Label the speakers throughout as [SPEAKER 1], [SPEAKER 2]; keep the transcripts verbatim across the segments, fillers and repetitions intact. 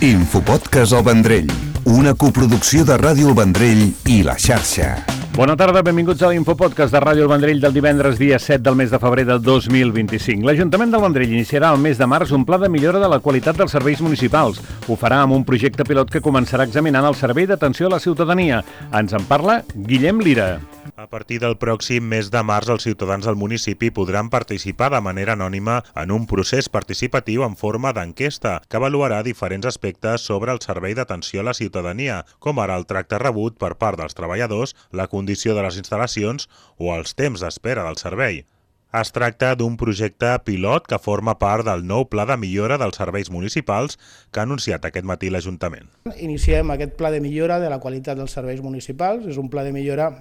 [SPEAKER 1] Infopodcast El Vendrell, una coproducció de Ràdio El Vendrell i La Xarxa.
[SPEAKER 2] Bona tarda, benvinguts a l'Infopodcast de Ràdio El Vendrell del divendres dia set del mes de febrer del dos mil vint-i-cinc. L'Ajuntament del Vendrell iniciarà al mes de març un pla de millora de la qualitat dels serveis municipals. Ho farà amb un projecte pilot que començarà examinant el servei d'atenció a la ciutadania. Ens en parla Guillem Lira.
[SPEAKER 3] A partir del pròxim mes de març, els ciutadans del municipi podran participar de manera anònima en un procés participatiu en forma d'enquesta que avaluarà diferents aspectes sobre el servei d'atenció a la ciutadania, com ara el tracte rebut per part dels treballadors, la condició de les instal·lacions o els temps d'espera del servei. Es tracta d'un projecte pilot que forma part del nou Pla de Millora dels Serveis Municipals que ha anunciat aquest matí l'Ajuntament.
[SPEAKER 4] Iniciem aquest pla de millora de la qualitat dels serveis municipals. És un pla de millora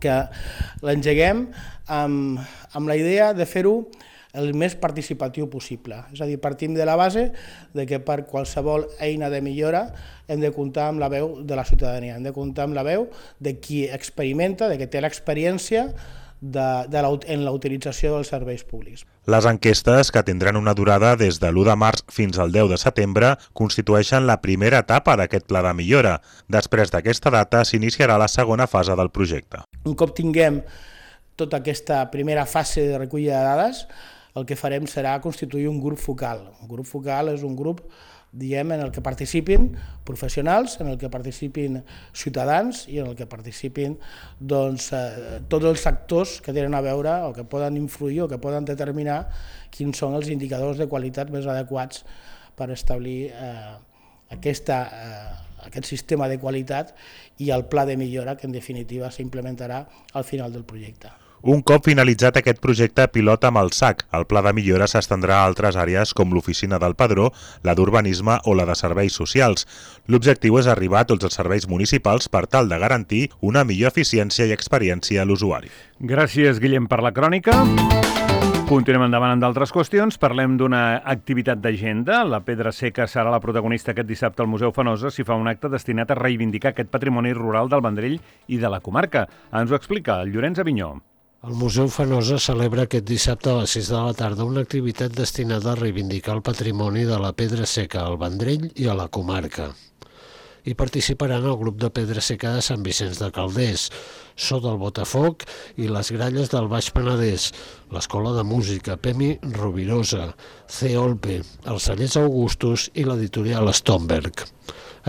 [SPEAKER 4] que l'engeguem amb, amb la idea de fer-ho el més participatiu possible. És a dir, partim de la base de que per qualsevol eina de millora hem de comptar amb la veu de la ciutadania, hem de comptar amb la veu de qui experimenta, de qui té l'experiència de, de la, en la utilització dels serveis públics.
[SPEAKER 3] Les enquestes, que tindran una durada des de l'u de març fins al deu de setembre, constitueixen la primera etapa d'aquest pla de millora. Després d'aquesta data s'iniciarà la segona fase del projecte.
[SPEAKER 4] Un cop tinguem tota aquesta primera fase de recollida de dades, el que farem serà constituir un grup focal. Un grup focal és un grup, diguem, en el que participin professionals, en el que participin ciutadans i en el que participin doncs, eh, tots els actors que tenen a veure o que poden influir o que poden determinar quins són els indicadors de qualitat més adequats per establir eh, aquesta, eh, aquest sistema de qualitat i el pla de millora que en definitiva s'implementarà al final del projecte.
[SPEAKER 3] Un cop finalitzat aquest projecte pilot amb el S A C, el pla de millora s'estendrà a altres àrees com l'oficina del padró, la d'urbanisme o la de serveis socials. L'objectiu és arribar a tots els serveis municipals per tal de garantir una millor eficiència i experiència a l'usuari.
[SPEAKER 2] Gràcies, Guillem, per la crònica. Continuem endavant amb d'altres qüestions. Parlem d'una activitat d'agenda. La Pedra Seca serà la protagonista aquest dissabte al Museu Fenosa si fa un acte destinat a reivindicar aquest patrimoni rural del Vendrell i de la comarca. Ens ho explica el Llorenç Avinyó.
[SPEAKER 5] El Museu Fenosa celebra aquest dissabte a les sis de la tarda una activitat destinada a reivindicar el patrimoni de la Pedra Seca al Vendrell i a la comarca. Hi participaran el grup de Pedra Seca de Sant Vicenç de Calders, So del Botafoc i les Gralles del Baix Penedès, l'Escola de Música Pemi Rovirosa, Ceolpe, els Cellers Augustus i l'editorial Stomberg.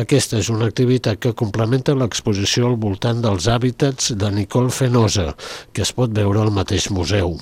[SPEAKER 5] Aquesta és una activitat que complementa l'exposició al voltant dels hàbitats de Nicole Fenosa, que es pot veure al mateix museu.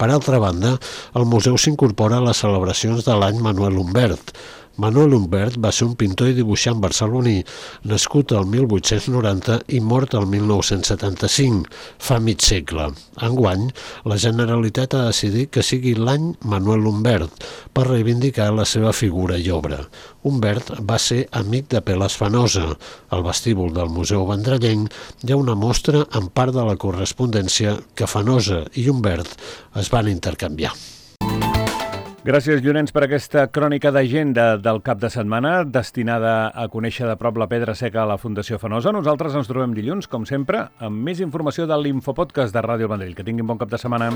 [SPEAKER 5] Per altra banda, el museu s'incorpora a les celebracions de l'any Manuel Humbert. Manuel Humbert va ser un pintor i dibuixant barceloní, nascut al mil vuit-cents noranta i mort al mil nou-cents setanta-cinc, fa mig segle. Enguany, la Generalitat ha decidit que sigui l'any Manuel Humbert per reivindicar la seva figura i obra. Humbert va ser amic de Peles Fenosa. Al vestíbul del Museu Vendrellenc hi ha una mostra amb part de la correspondència que Fenosa i Humbert es van intercanviar.
[SPEAKER 2] Gràcies, Llorenç, per aquesta crònica d'agenda del cap de setmana destinada a conèixer de prop la Pedra Seca a la Fundació Fenosa. Nosaltres ens trobem dilluns, com sempre, amb més informació de l'Infopodcast de Ràdio El Vendrell. Que tinguin bon cap de setmana.